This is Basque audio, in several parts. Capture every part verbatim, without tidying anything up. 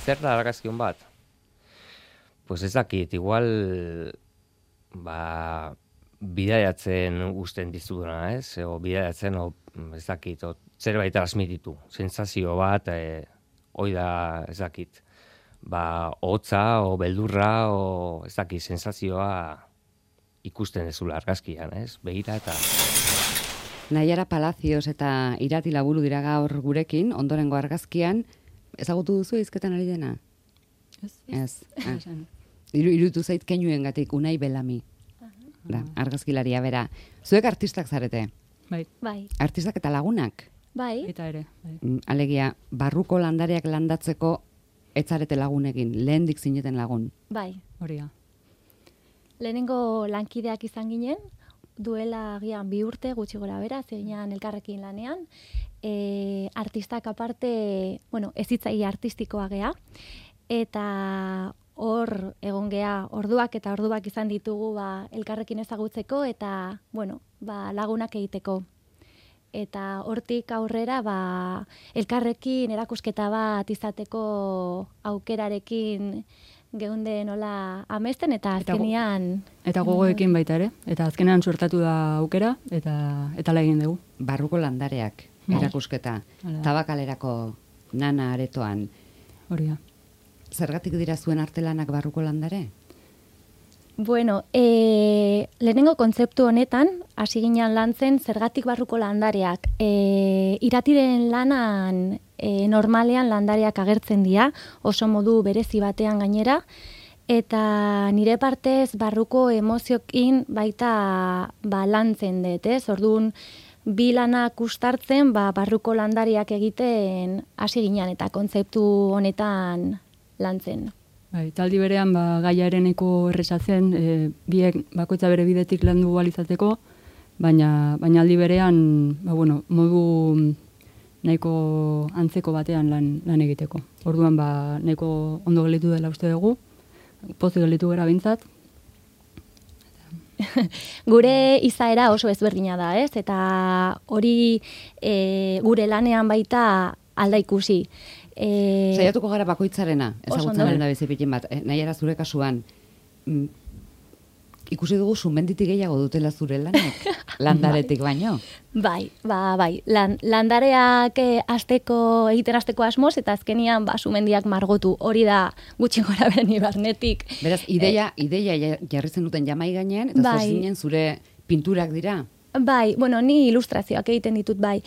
zer da argazkion bat? Pues ez dakit, igual, ba, bidaiatzen usten dizuduna, ez? O bidaiatzen, o, ez dakit, o, zerbait transmititu, sensazio bat, e, hoi da, ez dakit, ba, hotza, o beldurra, o ez dakit, sensazioa ikusten dezula argazkian, ez? Begira eta... Naiara Palacios eta Irati Laburu dira gaur gurekin, ondorengo argazkian, ezagutu duzu hizketan ari dena? Ez. Ez. Ah. Iru, irutu zait keinuengatik Unai Belami. Da, argazkilaria bera. Zuek artistak zarete. Bai. Bai. Artistak eta lagunak. Bai. Eta ere. Bai. Mm, Alegia, barruko landareak landatzeko ez zarete lagunekin, lehendik zineten lagun. Bai. Hori da. Lehenengo lankideak izan ginen, duela agian bi urte gutxi gora bera, zeinan elkarrekin lanean. E, artistak aparte, bueno, ezitzaile artistikoa gea, eta hor egon gea orduak eta orduak izan ditugu ba, elkarrekin ezagutzeko eta bueno, ba, lagunak egiteko. Eta hortik aurrera ba, elkarrekin erakusketa bat izateko aukerarekin geunde nola amesten eta azkenean... Eta gogoekin baita ere, eta azkenean suertatu da aukera, eta eta la egin dugu. Barruko landareak, erakusketa, Tabakalerako Nana aretoan. Hori da. Zergatik dira zuen artelanak barruko landare? Bueno, e, lehenengo kontzeptu honetan, hasi ginen lantzen zergatik barruko landareak. E, iratiren lanan e, normalean landareak agertzen dira, oso modu berezi batean gainera, eta nire partez barruko emoziokin baita ba, lantzen dut, ez? Orduan, bi lanak ustartzen ba, barruko landariak egiten hasi ginen eta kontzeptu honetan lantzen. Bai, taldi berean ba, gaiaren eko errezatzen, e, biek bakoitza bere bidetik landu balizateko, baina, baina aldi berean ba, bueno, modu nahiko antzeko batean lan, lan egiteko. Orduan ba, nahiko ondo gelitu dela uste dugu, pozik gelitu gara bintzat. Gure izaera oso ezberdina da, ez? Eta hori e, gure lanean baita alda ikusi. E... Saiatuko gara bakoitzarena, ezagutzen da bizipitin bat. E, nahi era zure kasuan, mm, ikusi dugu sumenditik gehiago dutela zure lanek, landaretik baino. Bai, ba, bai. Lan, landareak eh, asteko, egiten asteko asmoz, eta azkenian ba, sumendiak margotu. Hori da gutxi gora beren ibarnetik. Beraz, ideia, eh, ideia jarri zen duten jamai gainean, eta bai. Zozinen zure pinturak dira. Bai, bueno, ni ilustrazioak egiten ditut bai.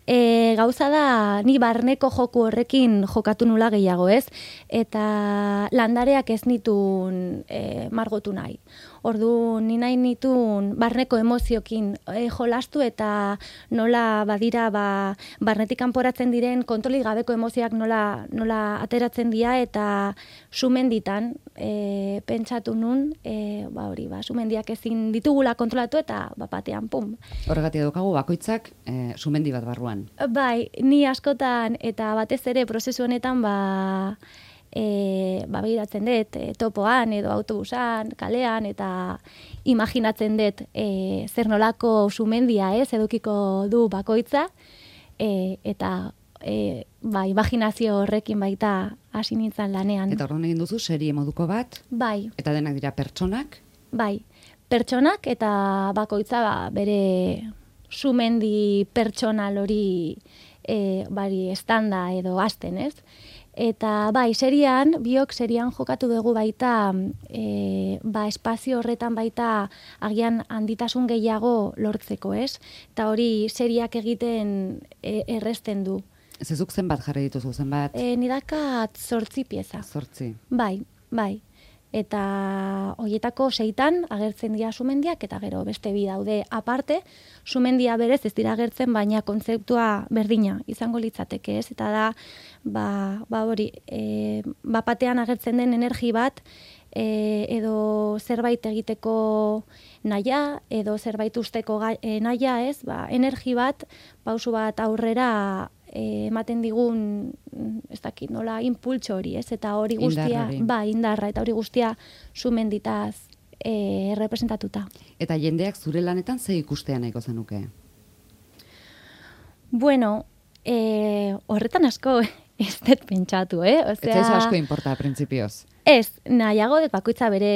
E, gauza da, ni barneko joku horrekin jokatu nula gehiago, ez? Eta landareak ez nitun e, margotu nahi. Ordu, ni nahi nitun barneko emoziokin e, jolastu eta nola badira ba, barnetik kanporatzen diren kontrolik gabeko emozioak nola, nola ateratzen dira eta sumenditan e, pentsatu nun, e, ba hori, ba, sumendiak ezin ditugula kontrolatu eta ba, batean, pum. Horregatik daukagu bakoitzak e, sumendi bat barruan. Bai, ni askotan eta batez ere prozesu honetan ba, e, ba begiratzen dut e, topoan edo autobusan, kalean eta imaginatzen dut e, zer nolako sumendia ez edukiko du bakoitza e, eta e, ba, imaginazio horrekin baita hasi nintzen lanean. Eta horren egin duzu serie moduko bat? Bai. Eta denak dira pertsonak? Bai. Pertsonak eta bakoitza ba, bere sumendi pertsonal hori e, bari estanda edo hasten, ez? Eta bai, serian, biok serian jokatu dugu baita e, ba, espazio horretan baita agian handitasun gehiago lortzeko, ez? Eta hori seriak egiten e, erresten du. Zezuk zenbat jarri dituzu, zenbat? E, nidakat zortzi pieza. Zortzi. Bai, bai. Eta hoietako seitan agertzen dira sumendiak eta gero beste bi daude aparte, sumendia berez ez dira agertzen baina kontzeptua berdina izango litzateke, ez? Eta da ba, ba hori, e, bapatean agertzen den energi bat e, edo zerbait egiteko naia edo zerbait usteko gai, e, naia, ez? Ba, energi bat, pausu bat aurrera ematen digun, ez dakit, nola, impultso hori, ez? Eta hori guztia, ba, indarra, eta hori guztia sumenditaz e, representatuta. Eta jendeak zure lanetan ze ikustea nahiko zenuke? Bueno, e, horretan asko ez dut pentsatu, eh? Osea, ez asko importa, printzipioz. Ez, nahiago dut bakoitza bere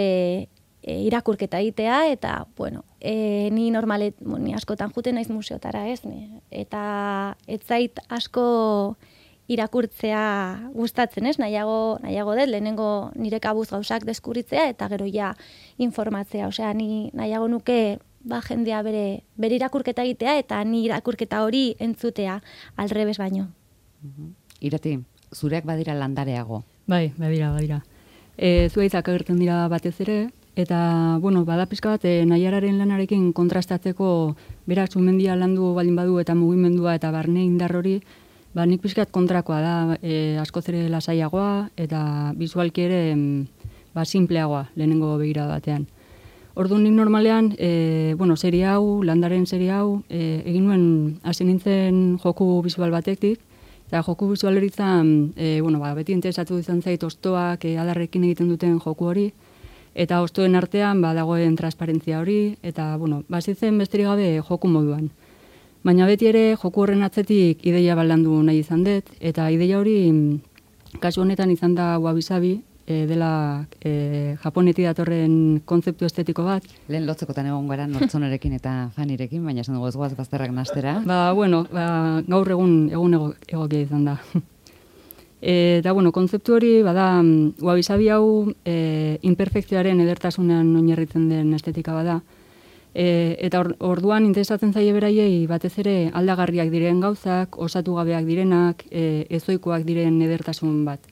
e, irakurketa egitea, eta, bueno, e, ni normalet, ni askotan juten naiz museotara, ez? Ne? Eta ez zait asko irakurtzea gustatzen, ez? Nahiago, nahiago dut, lehenengo nire kabuz gauzak deskuritzea, eta gero ja informatzea. Osea, ni nahiago nuke ba, jendea bere, bere irakurketa egitea, eta ni irakurketa hori entzutea, aldrebes baino. Uh-huh. Irati, zureak badira landareago. Bai, badira, badira. E, Zuaitzak agertzen dira batez ere, eta, bueno, bada pizka bat, e, Naiararen lanarekin kontrastatzeko berak sumendia landu baldin badu eta mugimendua eta barne indar hori, ba, nik pizkat kontrakoa da, e, askoz ere lasaiagoa, eta bisualki ere ba, simpleagoa lehenengo begira batean. Orduan nik normalean, e, bueno, serie hau, landaren serie hau, e, egin nuen hasi nintzen joku bisual batetik, eta joku bisualeritzan, e, bueno, ba, beti interesatu izan zait ostoak e, adarrekin egiten duten joku hori, eta ostoen artean ba, dagoen transparentzia hori, eta, bueno, bazitzen besterik gabe joku moduan. Baina beti ere joku horren atzetik ideia baldandu nahi izan dut, eta ideia hori kasu honetan izan da wabi-sabi, e, dela e, japonetik datorren kontzeptu estetiko bat. Lehen lotzekotan egon gara Nortzonerekin eta Fanirekin, baina esan dugu ez goaz bazterrak nastera. Ba, bueno, ba, gaur egun egun ego, egokia izan da. E, eta, bueno, kontzeptu hori, bada, wabi-sabi hau e, imperfekzioaren edertasunean oinarritzen den estetika bada. E, eta or, orduan interesatzen zaie beraiei batez ere aldagarriak diren gauzak, osatu gabeak direnak, e, ezoikoak diren edertasun bat.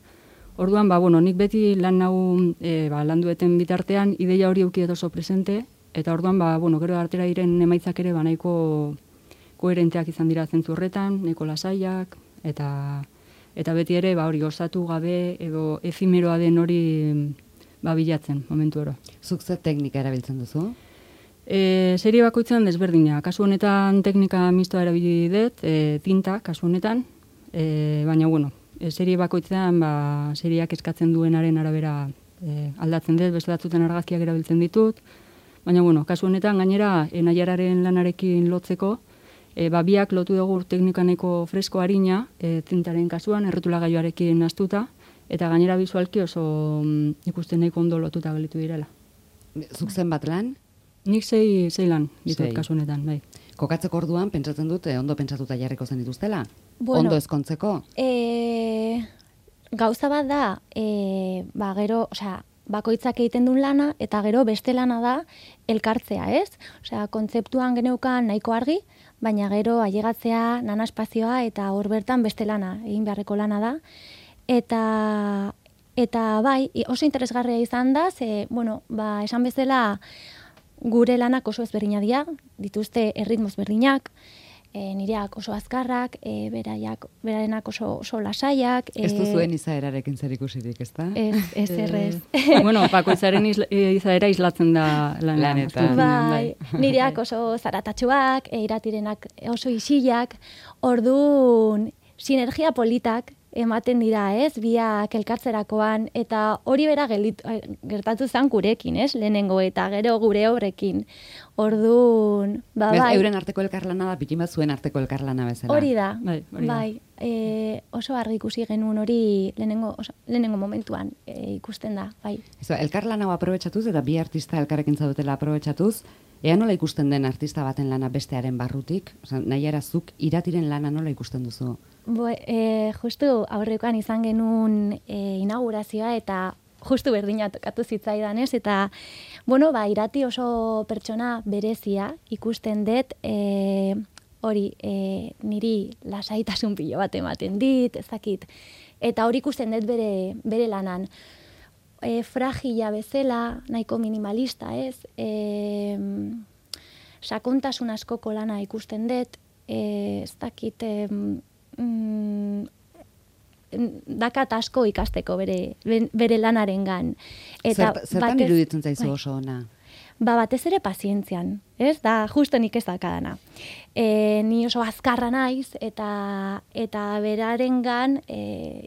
Orduan, ba, bueno, nik beti lan hau e, ba, landueten bitartean ideia hori eukiet oso presente, eta orduan, ba, bueno, gero artera diren emaitzak ere ba, nahiko koherenteak izan dira zentzu horretan, nahiko lasaiak, eta eta beti ere ba, hori osatu gabe edo efimeroa den hori ba, bilatzen momentu oro. Zuk zer teknika erabiltzen duzu? E, serie bakoitzan desberdina. Kasu honetan teknika mistoa erabili dut, e, tinta, kasu honetan, e, baina, bueno, e, serie bakoitzean ba, seriak eskatzen duenaren arabera e, aldatzen dut, beste batzutan argazkiak erabiltzen ditut, baina, bueno, kasu honetan gainera e, Naiararen lanarekin lotzeko, e, ba, biak lotu dugu teknikaneko fresko harina, e, tintaren kasuan, errotulagailuarekin astuta, eta gainera bisualki oso mm, ikusten nahiko ondo lotuta gelitu direla. Zuk zen bat lan? Nik sei, sei lan ditut kasu honetan, bai. Kokatzeko orduan, pentsatzen dut, ondo pentsatuta jarriko zen dituztela? Bueno, ondo ezkontzeko? E, gauza bat da, e, ba, gero, osea, bakoitzak egiten duen lana, eta gero beste lana da elkartzea, ez? Osea, kontzeptuan geneukan nahiko argi, baina gero ailegatzea, nana espazioa, eta hor bertan beste lana, egin beharreko lana da. Eta, eta bai, oso interesgarria izan da, ze, bueno, ba, esan bezala, gure lanak oso ezberdina dira, dituzte erritmoz berdinak, e, nireak oso azkarrak, e, beraiak, berarenak oso, oso lasaiak. Ez du zuen izaerarekin zer ikusirik, ez da? Ez, ez errez. Bueno, bakoitzaren isla, izaera islatzen da lan, lanetan. Bai, nireak oso zaratatxuak, e, iratirenak oso isilak, orduan sinergia politak ematen dira, ez, biak elkartzerakoan, eta hori bera gelit, gertatu zen gurekin, ez, lehenengo, eta gero gure horrekin. Orduan, ba, Bez, bai. Euren arteko elkarlana da, pikin bat zuen arteko elkarlana bezala. Hori da, bai. Hori da. bai. E, oso argi ikusi genuen hori lehenengo, oso, lehenengo momentuan e, ikusten da, bai. Eso, elkarlan hau aprobetxatuz, eta bi artista elkarrekin zaudetela aprobetxatuz, ea nola ikusten den artista baten lana bestearen barrutik? Osa, nahi erazuk iratiren lana nola ikusten duzu? Bo, e, justu aurrekoan izan genuen e, inaugurazioa eta justu berdina tokatu zitzaidan, ez? Eta, bueno, ba, irati oso pertsona berezia ikusten dut, e, hori, e, niri lasaitasun pilo bat ematen dit, ezakit. Eta hori ikusten dut bere, bere lanan. E, fragila bezala, nahiko minimalista, ez? E, sakontasun askoko lana ikusten dut, e, ez dakit, e, mm, dakat asko ikasteko bere, bere lanarengan. Eta Zer, zertan batez, iruditzen zaizu bai. oso ona? Ba, batez ere pazientzian, ez? Da, justo nik ez dakadana. E, ni oso azkarra naiz, eta, eta berarengan e,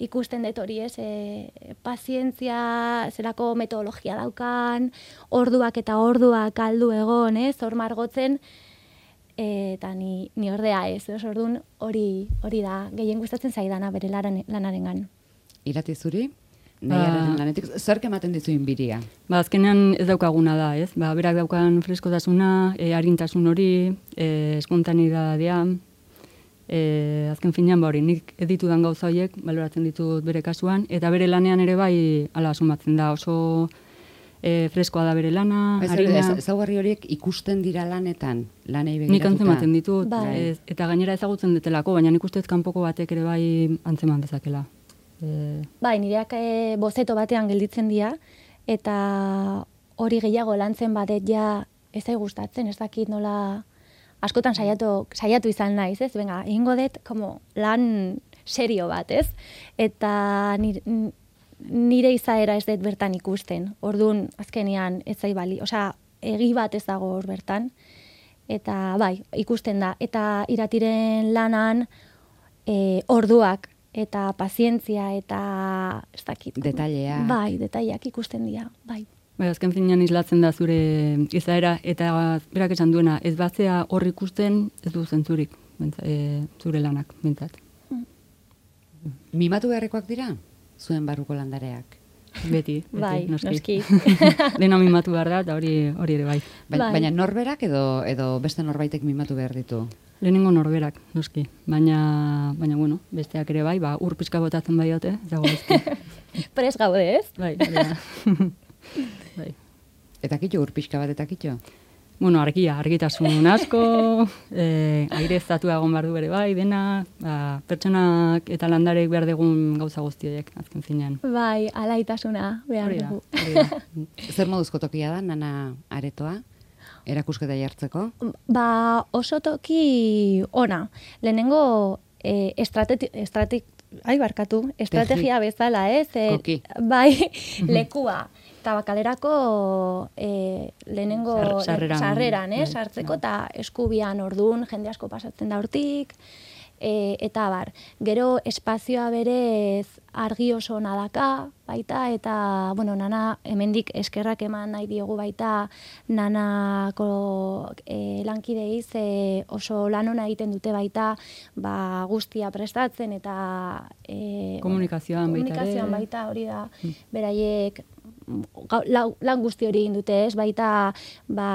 ikusten dut hori, ez? E, pazientzia, zelako metodologia daukan, orduak eta orduak aldu egon, ez? Hor margotzen, eta ni, ni ordea ez, ez orduan hori hori da, gehien gustatzen zaidana bere laran, lanarengan. Irati zuri? Nahiaren ba, lanetik, zerk ematen dizuin biria? Ba, azkenean ez daukaguna da, ez? Ba, berak daukan freskotasuna, e, arintasun hori, e, espontanidadea, e, azken finean ba hori, nik editudan gauza horiek, baloratzen ditut bere kasuan, eta bere lanean ere bai, ala, sumatzen da, oso e, freskoa da bere lana, ez, harina. Ez, ezaugarri horiek ikusten dira lanetan, lanei begiratuta? Nik antzematen ditut, bai. ez, eta gainera ezagutzen detelako, baina nik ustez kanpoko batek ere bai antzeman dezakela. E... Bai, nireak e, bozeto batean gelditzen dira, eta hori gehiago lantzen badet ja ez zai gustatzen, ez dakit nola askotan saiatu, saiatu izan naiz, ez? Venga, egingo dut como lan serio bat, ez? Eta nire, nire izaera ez dut bertan ikusten. Orduan, azkenean ez zai bali, osea, egi bat ez dago hor bertan. Eta bai, ikusten da. Eta Iratiren lanan e, orduak eta pazientzia eta ez dakit. Detailea. Bai, detaileak ikusten dira, bai. Bai, azken finean islatzen da zure izaera, eta berak esan duena, ez batzea hor ikusten ez du zentzurik, bentza, e, zure lanak, bintzat. Mm. Mimatu beharrekoak dira, zuen barruko landareak? Beti, beti, Bai, noski. noski. Dena mimatu behar da, eta hori hori ere bai. Ba, Bai. Baina norberak edo edo beste norbaitek mimatu behar ditu? Lehenengo norberak, noski. Baina, baina bueno, besteak ere bai, ba, ur pixka botatzen bai dute, ez dago bezki. Prez gaude, ez? Bai, hori da. Bai. Eta kitxo, ur pixka bat eta kitxo? Bueno, argia, argitasun asko, eh, aire estatua egon behar du bere bai, dena, ba, pertsonak eta landarek behar dugun gauza guztiek, azken zinean. Bai, alaitasuna behar Hori da, dugu. hori da. Zer moduzko tokia da, nana aretoa? Erakusketa jartzeko? Ba, oso toki ona. Lehenengo eh, estrategia, estrate, ai barkatu, estrategia bezala, ez? Eh, Koki. Bai, lekua. Tabakalerako eh, lehenengo Sar- sarreran. sarreran, eh, Bai, sartzeko, eta eskubian ordun jende asko pasatzen da hortik, e, eta bar. Gero espazioa berez argi oso ona daka, baita, eta, bueno, nana, hemendik eskerrak eman nahi diogu baita, nanako e, lankidei ze oso lan ona egiten dute baita, ba, guztia prestatzen, eta e, Komunikazioan baita ere. komunikazioan baita, hori da, beraiek gau- lau- lan guzti hori egin dute, ez, baita, ba,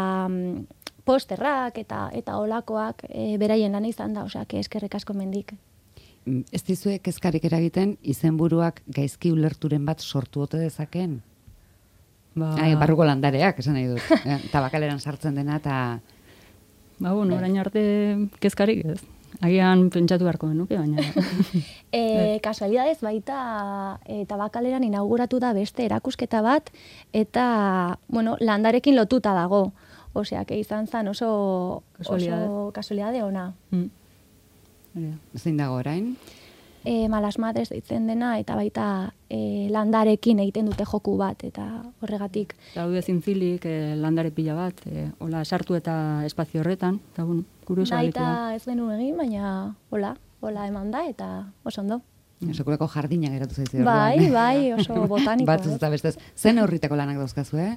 posterrak eta eta olakoak e, beraien lana izan da, osea, eskerrek asko mendik. Mm, Ez dizue kezkarik eragiten izenburuak gaizki ulerturen bat sortu ote dezaken? Ba, Ai, barruko landareak, esan nahi dut. Eh, Tabakaleran sartzen dena eta ba, bueno, orain arte kezkarik ez. Agian pentsatu beharko genuke, baina... E, kasualidadez baita e, Tabakaleran inauguratu da beste erakusketa bat, eta, bueno, landarekin lotuta dago. Osea, que izan zen oso Kasualidade. oso kasualidade ona. Mm. Hori da. zein dago orain? E, Malas Madres deitzen dena, eta baita e, landarekin egiten dute joku bat, eta horregatik. Daude zintzilik eh, landare pila bat, eh, hola sartu eta espazio horretan, eta bueno, kurioso Baita da. ez genuen egin, baina hola, hola eman da, eta oso ondo. Sekulako jardina geratu zaizu. Bai, bai, oso botaniko. Batzuz eta bestez. Zen horritako lanak dauzkazu, eh?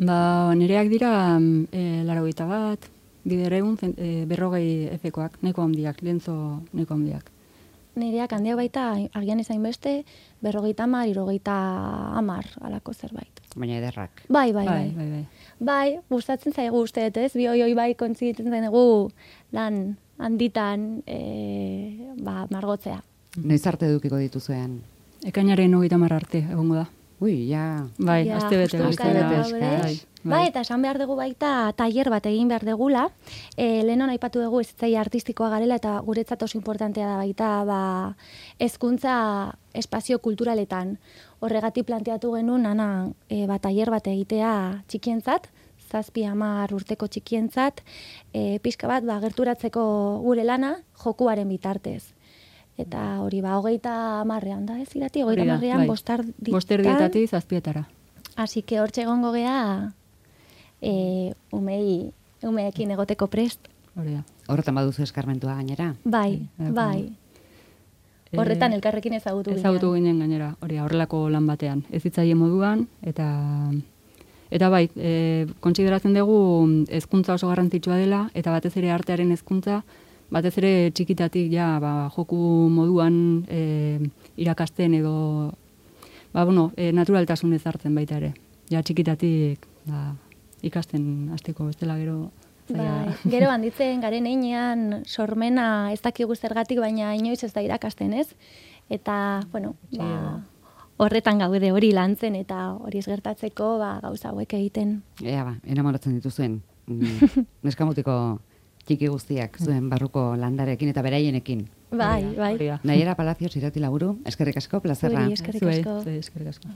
Ba, nireak dira mm, eh, laurogeita bat, bidereun, eh, berrogei efekoak, neko handiak, lienzo neko handiak. Nireak handiak baita, agian izain beste, berrogeita hamar, hirurogeita hamar, alako zerbait. Baina ederrak. Bai, bai, Bai, bai. bai, bai. Bai, gustatzen zaigu uste, ez? Bi hoi hoi bai kontzitzen zaigu lan handitan e, ba, margotzea. Noiz arte edukiko dituzuean? Ekainaren hogeita hamar arte egongo da. Ui, ja. Bai, Ja, aste bete. justu aste bukaera bete daude. eskas. Bai, Bai, eta esan behar dugu baita tailer bat egin behar degula. E, Lehenon aipatu dugu ezitzaia artistikoa garela, eta guretzat oso importantea da baita ba, hezkuntza espazio kulturaletan. Horregatik planteatu genuen nana e, ba, tailer bat egitea txikientzat, zazpi hamar urteko txikientzat, e, pixka bat ba, gerturatzeko gure lana jokuaren bitartez. Eta hori ba, hogeita hamarrean da, ez irati, hogeita Hori da, hamarrean bai. bostarditan. Bosterdietatik zazpietara. Así que hortxe egongo gea e, umei, umeekin egoteko prest. Hori da. Horretan baduzu eskarmentua gainera. Bai, Bai, bai. Horretan elkarrekin ezagutu ginen. Ezagutu ginen gainera, hori da, horrelako lan batean. Ez hitzaile moduan, eta Eta bai, e, kontsideratzen dugu hezkuntza oso garrantzitsua dela, eta batez ere artearen hezkuntza, batez ere txikitatik ja, ba, joku moduan e, irakasten edo, ba, bueno, e, naturaltasun ezartzen baita ere. Ja, txikitatik ba, ikasten hasteko bestela gero. Bai, gero handitzen garen einean sormena ez dakigu zergatik, baina inoiz ez da irakasten, ez? Eta, bueno, ba, horretan gaude hori lantzen eta hori ez gertatzeko ba, gauza hauek egiten. Ea ba, enamoratzen dituzuen. Mm, neskamutiko txiki guztiak zuen barruko landarekin eta beraienekin. Bai, bai. Naiara Palacios irati laburu, eskerrik asko, plazerra. Zuri, eskerrik asko. Zuri, eskerrik asko.